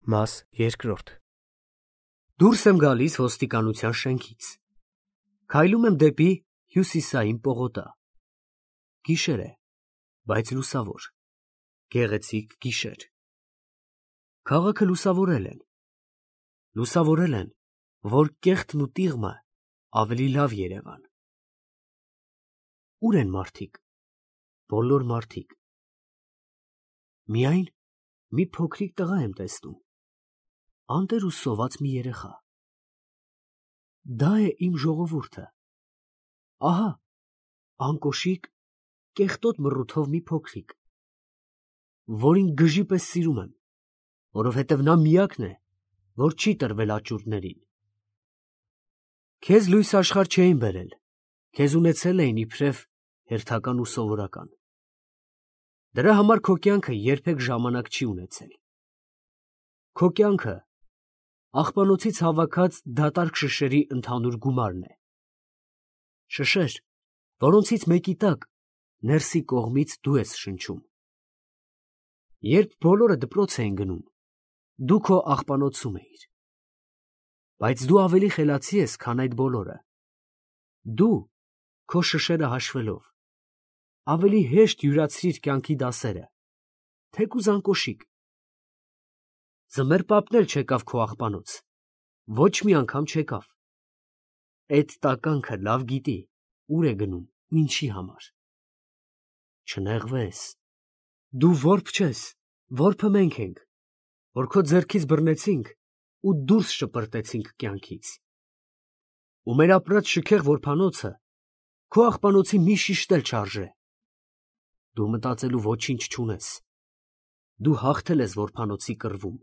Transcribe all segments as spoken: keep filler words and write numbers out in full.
Մաս երկրորդ Դուրս եմ գալիս ոստիկանության շենքից։ Քայլում եմ դեպի հյուսիսային պողոտա։ Գիշեր է, բայց լուսավոր, գեղեցիկ գիշեր։ Քաղաքը լուսավորել են։ Լուսավորել են, որ կեղտն ու տիղմը ավելի լավ երևան։ Ուր են մարդիկ։ Բոլոր մարդիկ։ Միայն մի փոքրիկ տղա եմ տեսնում։ Անտեր ու սոված մի երեխա։ Դա է իմ ժողովուրդը։ Ահա, անկոշիկ, կեղտոտ մռութով մի փոքրիկ, որին գժի պես սիրում եմ, որովհետև նա միակն է, որ չի տրվել աճուրդներին։ Քեզ լույս աշխարհ չէին բերել, քեզ ունեցել էին իբրև հերթական ու սովորական։ Դրա համար քո կյանքը երբեք ժամանակ չի ունեցել։ Քո կյանքը աղբանոցից հավաքած դատարկ շշերի ընդհանուր գումարն է։ Շշեր, որոնցից մեկի տակ ներսի կողմից դու ես շնչում։ Երբ բոլորը դպրոց էին գնում, դու քո աղբանոցում էիր։ Բայց դու ավելի խելացի ես, քան այդ բոլորը։ Դու, քո շշերը հաշվելով, ավելի հեշտ յուրացրիր կյանքի դասերը, թեկուզ անկոշիկ։ Ձմեռ պապն էլ չեկավ քո աղբանոց, ոչ մի անգամ չեկավ։ Էդ տականքը լավ գիտի, ուր է գնում, ինչի համար։ Չնեղվես, դու որբ չես, որբը մենք ենք, որ քո ձեռքից բռնեցինք ու դուրս շպրտեցինք կյանքից։ Ու մեր ապրած շքեղ որբանոցը քո աղբանոցի մի շիշտ էլ չարժե։ Դու մտածելու ոչինչ չունես։ Դու հաղթել ես որբանոցի կռվում։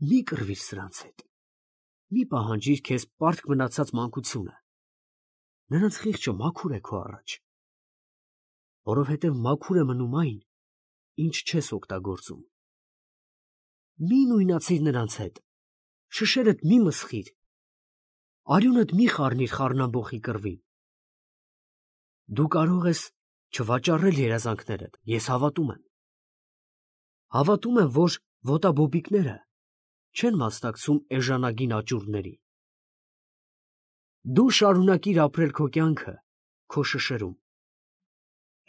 Մի կռվիր սրանց հետ, մի պահանջիր քեզ պարտք մնացած մանկությունը, նրանց խիղճը մաքուր է քո առաջ, որովհետև մաքուր է մնում այն, ինչ չես օգտագործում։ Մի նույնացիր նրանց հետ, շշերդ մի մսխիր, արյունդ մի խառնիր խառնամբոխի կռվին։ Դու կարող ես չվաճառել երազանքներդ, ես հավատում եմ։ Հավատում եմ, որ ոտաբոբիկները չեն մասնակցում էժանագին աճուրդների։ Դու շարունակիր ապրել քո կյանքը, քո շշերում։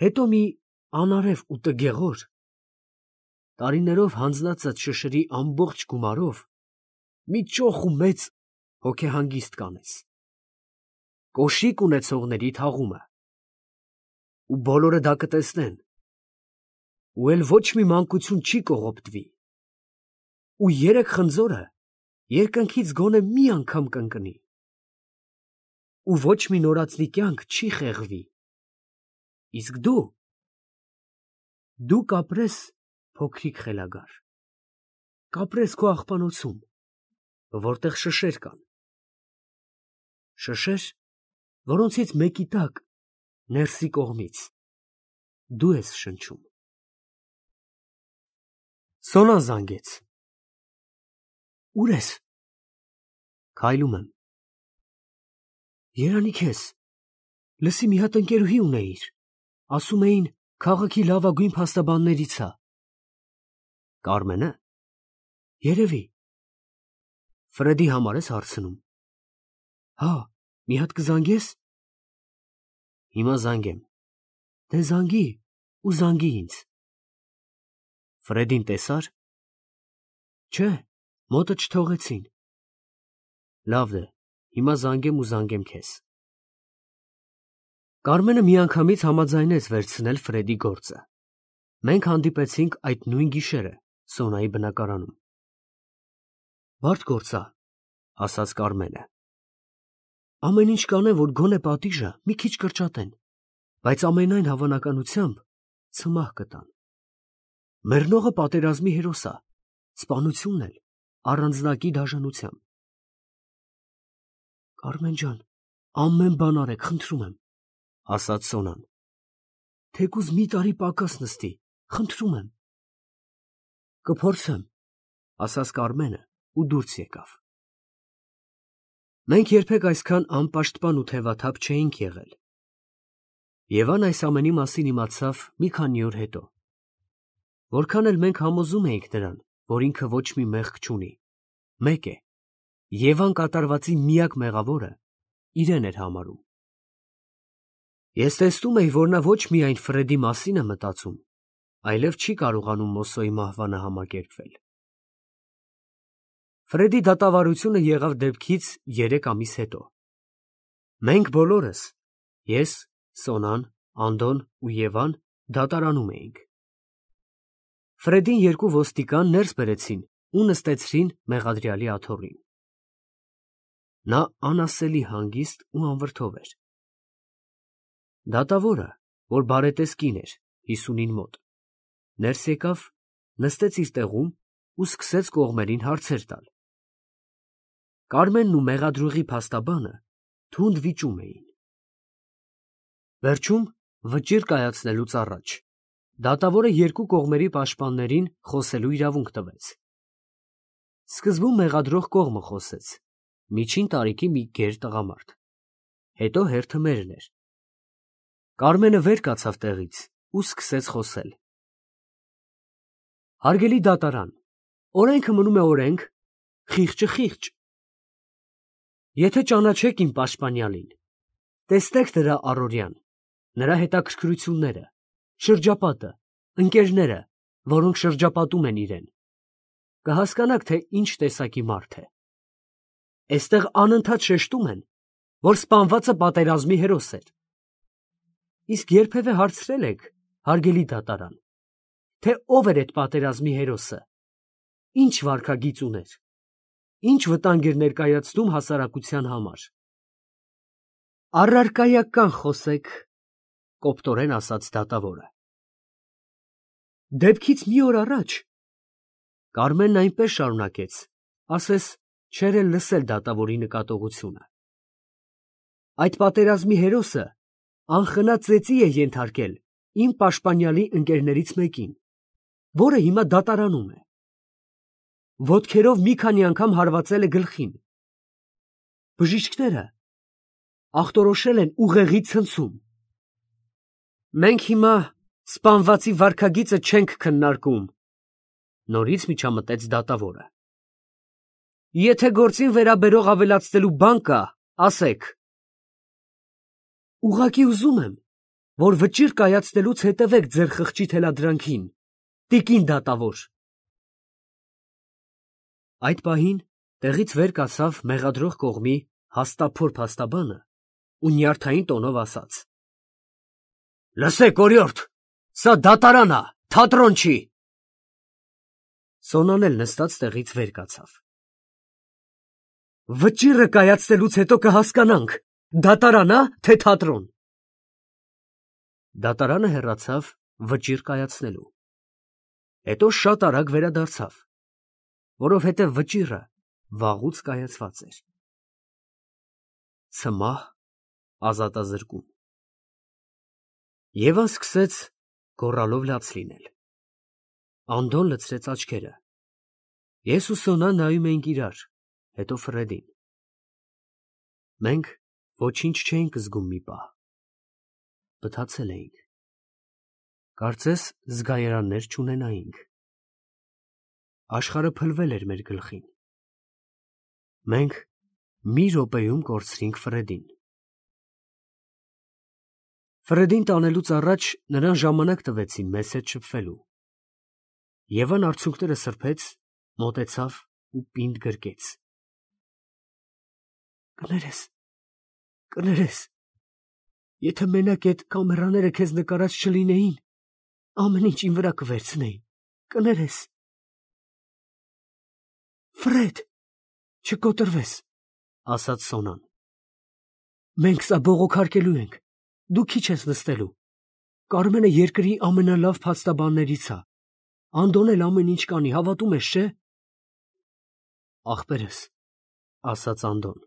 Հետո մի անարև ու տգեղոր, տարիներով հանձնացած շշերի ամբողջ գումարով մի ճոխ ու մեծ հոգեհանգիստ կանես։ Կոշիկ ունեցողների թաղումը։ Ու բոլորը դա կտեսնեն։ Ու էլ ոչ մի մանկություն չի կողոպտվի։ Ու երեք խնձորը երկնքից գոնե մի անգամ կընկնի։ Ու ոչ մի նորածնի կյանք չի խեղվի։ Իսկ դու, դու կապրես փոքրիկ խելագար, կապրես քո աղբանոցում, որտեղ շշեր կան։ Շշեր, որոնցից մեկի տակ, ներսի կողմից, դու ես շնչում։ Սոնան զանգեց։ Ուր ես։ Քայլում եմ։ Երանի քեզ, լսի մի հատ ընկերուհի ունեիր, ասում էին քաղաքի լավագույն փաստաբաններից ա։ Կարմենը։ Երևի։ Ֆրեդի համար ես հարցնում։ Հա, մի հատ կզանգես։ Հիմա զանգեմ։ Դե զանգի ու զանգի ինձ։ Ֆրեդին տեսա՞ր։ Չէ, մոտը չթողեցին։ Լավ է, հիմա զանգեմ ու զանգեմ քեզ։ Կարմենը միանգամից համաձայնեց վերցնել Ֆրեդի գործը։ Մենք հանդիպեցինք այդ նույն գիշերը Սոնայի բնակարանում։ Բարդ գործ ա, ասաց Կարմենը։ Ամեն ինչ կանեմ, որ գոնե պատիժը մի քիչ կրճատեն, բայց ամենայն հավանականությամբ ցմահ կտան։ Մեռնողը պատերազմի հերոս ա, սպանությունն էլ առանձնակի դաժանությամբ։ Կարմեն ջան, ամեն բան արեք, խնդրում եմ, ասաց Սոնան։ Թեկուզ մի տարի պակաս նստի, խնդրում եմ։ Կփորձեմ, ասաց Կարմենը ու դուրս եկավ։ Մենք երբեք այսքան անպաշտպան ու թևաթափ չէինք եղել։ Եվան այս ամենի մասին իմացավ մի քանի օր հետո։ Որքան էլ մենք համոզում էինք նրան, որ ինքը ոչ մի մեղք չունի, մեկ է, Եվան կատարվածի միակ մեղավորը իրեն էր համարում։ Ես տեսնում էի, որ նա ոչ միայն Ֆրեդի մասին է մտածում, այլև չի կարողանում Մոսոյի մահվանը համակերպվել։ Ֆրեդի դատավարությունը եղավ դեպքից երեք ամիս հետո։ Մենք բոլորս, ես, Սոնան, Անդոն ու Եվան դատարանում էինք։ Ֆրեդին երկու ոստիկան ներս բերեցին ու նստեցրին մեղադրյալի աթոռին։ Նա անասելի հանգիստ ու անվրդով էր։ Դատավորը, որ բարետես կին էր, հիսունին մոտ, ներս եկավ, նստեց իր տեղում ու սկսեց կողմերին հարցեր տալ։ Կարմենն ու մեղադրողի փաստաբանը թունդ վիճում էին։ Վերջում, վճիռ կայացնելուց առաջ, դատավորը երկու կողմերի պաշտպաններին խոսելու իրավունք տվեց։ Սկզբում մեղադրող կողմը խոսեց, միջին տարիքի մի գեր տղամարդ, հետո հերթը մերն էր։ Կարմենը վեր կացավ տեղից ու սկսեց խոսել։ Հարգելի դատարան, օրենքը մնում է օրենք, խիղճը խիղճ։ Եթե ճանաչեք իմ պաշտպանյալին, տեսնեք նրա առօրյան, նրա հետաքրքրությունները, շրջապատը, ընկերները, որոնք շրջապատում են իրեն, կհասկանաք, թե ինչ տեսակի մարդ է։ Էստեղ անընդհատ շեշտում են, որ սպանվածը պատերազմի հերոս էր։ Իսկ երբևէ հարցրել եք, հարգելի դատարան, թե ով էր այդ պատերազմի հերոսը, ինչ վարքագիծ ուներ, ինչ վտանգ էր ներկայացնում հասարակության համար։ Առարկայական խոսեք, կոպտորեն ասաց դատավորը։ Դեպքից մի օր առաջ, Կարմենն այնպես շարունակեց, ասես չէր էլ լսել դատավորի նկատողությունը։ Այդ պատերազմի հերոսը անխնա ծեծի է ենթարկել իմ պաշտպանյալի ընկերներից մեկին, որը հիմա դատարանում է։ Ոտքերով մի քանի անգամ հարվածել է գլխին։ Բժիշկները ախտորոշել են ուղեղի ցնցում։ Մենք հիմա սպանվածի վարքագիծը չենք քննարկում, նորից միջամտեց դատավորը։ Եթե գործին վերաբերող ավելացնելու բան կա, ասեք։ Ուղղակի ուզում եմ, որ վճիռ կայացնելուց հետևեք ձեր խղճի թելադրանքին, տիկին դատավոր։ Այդ պահին տեղից վեր կացավ մեղադրող կողմի հաստափոր փաստաբանը ու նյարդային տոնով ասաց. Լսեք, օրիորդ, սա դատարան է, թատրոն չի։ Սոնան էլ նստած տեղից վեր կացավ։ Վճիռը կայացնելուց հետո կհասկանանք, դատարան է, թե թատրոն։ Դատարանը հեռացավ վճիռ կայացնելու։ Հետո շատ արագ վերադարձավ, որովհետև վճիռը վաղուց կայացված էր։ Ցմահ ազատազրկում։ Եվան սկսեց գոռալով լաց լինել։ Անդոն լցրեց աչքերը։ Ես ու Սոնան նայում էինք իրար, հետո Ֆրեդին։ Մենք ոչինչ չէինք զգում մի պահ։ Բթացել էինք։ Կարծես զգայարաններ չունենայինք։ Աշխարհը փլվել էր մեր գլխին։ Մենք մի րոպեում կորցրինք Ֆրեդին։ Ֆրեդին տանելուց առաջ նրան ժամանակ տվեցին մեզ հետ շփվելու։ Եվան արցունքները սրբեց, մոտեցավ ու պինդ գրկեց։ Կներես, կներես, եթե մենակ այդ կամերաները քեզ նկարած չլինեին, ամեն ինչ իմ վրա կվերցնեին, կներես։ Ֆրեդ, չկոտրվես, ասաց Սոնան։ Մենք սա բողոքարկելու ենք, դու քիչ ես նստելու։ Կարմենը երկրի ամենալավ փաստաբաններից է։ Անդոն էլ ամեն ինչ կանի, հավատում ես, չէ՞։ Ախպերս, ասաց Անդոն։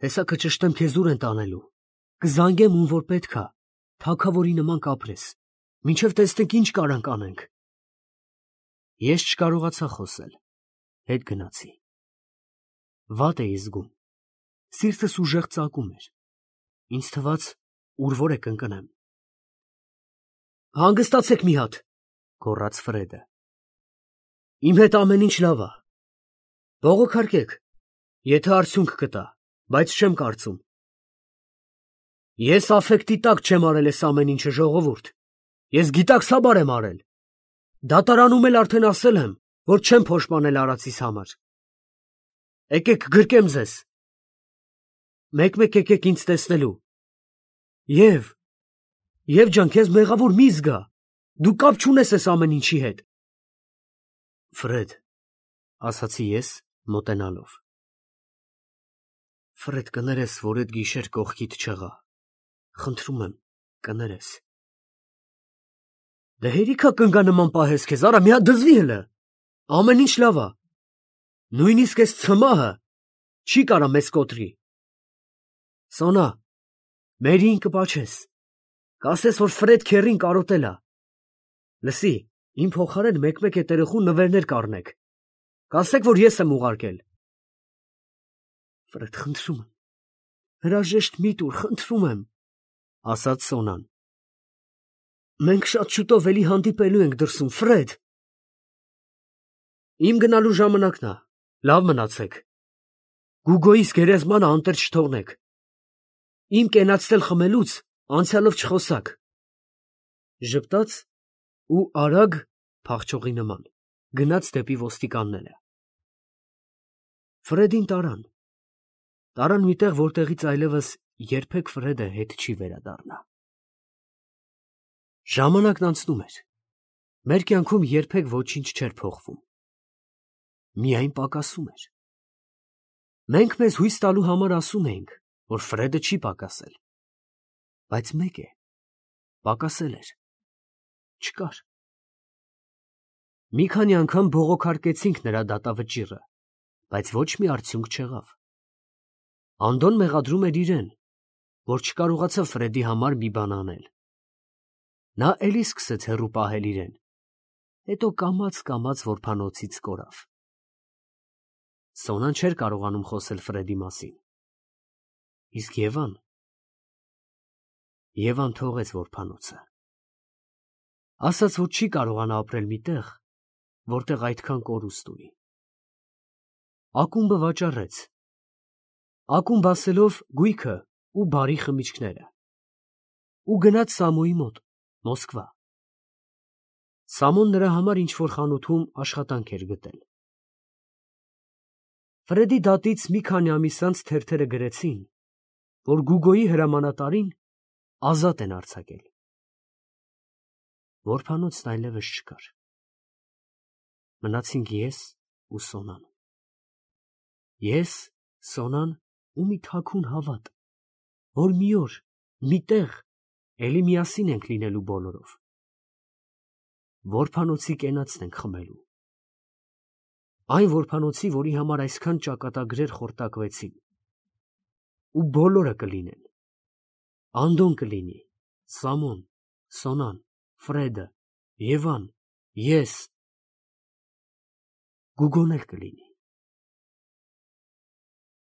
Հեսա կճշտեմ քեզ ուր են տանելու։ Կզանգեմ ում որ պետք է, թագավորի նման կապրես, մինչև տեսնենք ինչ կարանք անենք։ Ես չկարողացա խոսել, հետ գնացի։ Վատ էի զգում, սիրտս ուժեղ ծակում էր։ Ինձ թվաց, ուր որ է կընկնեմ։ Հանգստացեք մի հատ, գոռաց Ֆրեդը։ Իմ հետ ամեն ինչ լավ է։ Բողոքարկեք, եթե արդյունք կտա, բայց չեմ կարծում։ Ես աֆեկտի տակ չեմ արել այս ամեն ինչը, ժողովուրդ։ Ես գիտակցաբար եմ արել։ Դատարանում էլ արդեն ասել եմ, որ չեմ փոշմանել արածիս համար։ Եկեք գրկեմ ձեզ։ Մեկ-մեկ եկեք ինձ տեսնելու։ Եվ, Եվ ջան, քեզ մեղավոր մի զգա։ Դու կապ չունես այս ամեն ինչի հետ։ Ֆրեդ, ասացի ես, մոտենալով։ Ֆրեդ, կներես, որ այդ գիշեր կողքիդ չեղա։ Խնդրում եմ, կներես։ Դե հերիքա կնգա նման պահես քեզ, արա մի հատ դզվի հլը։ Ամեն ինչ լավ է։ Նույնիսկ այս ցմահը չի կարա մեզ կոտրի։ Սոնա, մերին կպաչես։ Կասես, որ Ֆրեդ քերին կարոտել է։ Լսի, իմ փոխարեն մեկ-մեկ այդ երեխուն նվերներ կառնեք։ Կասեք, որ ես եմ ուղարկել։ Ֆրեդ, խնդրում եմ, հրաժեշտ մի տուր, խնդրում եմ, ասաց Սոնան։ Մենք շատ շուտով էլի հանդիպելու ենք դրսում, Ֆրեդ։ Իմ գնալու ժամանակն է, լավ մնացեք։ Գուգոյիս գերեզմանը անտեր չթողնեք։ Իմ կենացնել խմելուց անցյալով չխոսակ։ Ժպտաց ու արագ, փախչողի նման, գնաց դեպի ոստիկանները։ Ֆրեդին տարան։ Տարան մի տեղ, որտեղից այլևս երբեք Ֆրեդը հետ չի վերադառնա։ Ժամանակն անցնում էր։ Մեր կյանքում երբեք ոչինչ չէր փոխվում։ Միայն պակասում էր։ Մենք մեզ հույս տալու համար ասում էինք, որ Ֆրեդը չի պակասել։ Բայց մեկ է, պակասել էր։ Չկար։ Մի քանի անգամ բողոքարկեցինք նրա դատավճիռը, բայց ոչ մի արդյունք չեղավ։ Անդոն մեղադրում էր իրեն, որ չկարողացավ Ֆրեդի համար մի բան անել։ Նա էլի սկսեց հեռու պահել իրեն, հետո կամաց-կամաց որբանոցից կորավ։ Սոնան չէր կարողանում խոսել Ֆրեդի մասին։ Իսկ Եվան… Եվան թողեց որբանոցը։ Ասաց, որ չի կարողանա ապրել մի տեղ, որտեղ այդքան կորուստ ունի։ Ակումբը վաճառեց։ Ակումբ ասելով գույքը ու բարի խմիչքները։ Ու գնաց Սամոյի մոտ, Մոսկվա։ Սամոն նրա համար ինչ-որ խանութում աշխատանք էր գտել։ Ֆրեդի դատից մի քանի ամիս անց թերթերը գրեցին, որ Գուգոյի հրամանատարին ազատ են արձակել։ Որբանոցն այլևս չկար։ Մնացինք ես ու Սոնան։ Ես, Սոնան ու մի թաքուն հավատ, որ մի օր, մի տեղ էլի միասին ենք լինելու բոլորով։ Որբանոցի կենացն ենք խմելու։ Այն որբանոցի, որի համար այսքան ճակատագրեր խորտակվեցին։ Ու բոլորը կլինեն։ Անդոն կլինի, Սամոն, Սոնան, Ֆրեդը, Եվան, ես։ Գուգոն էլ կլինի։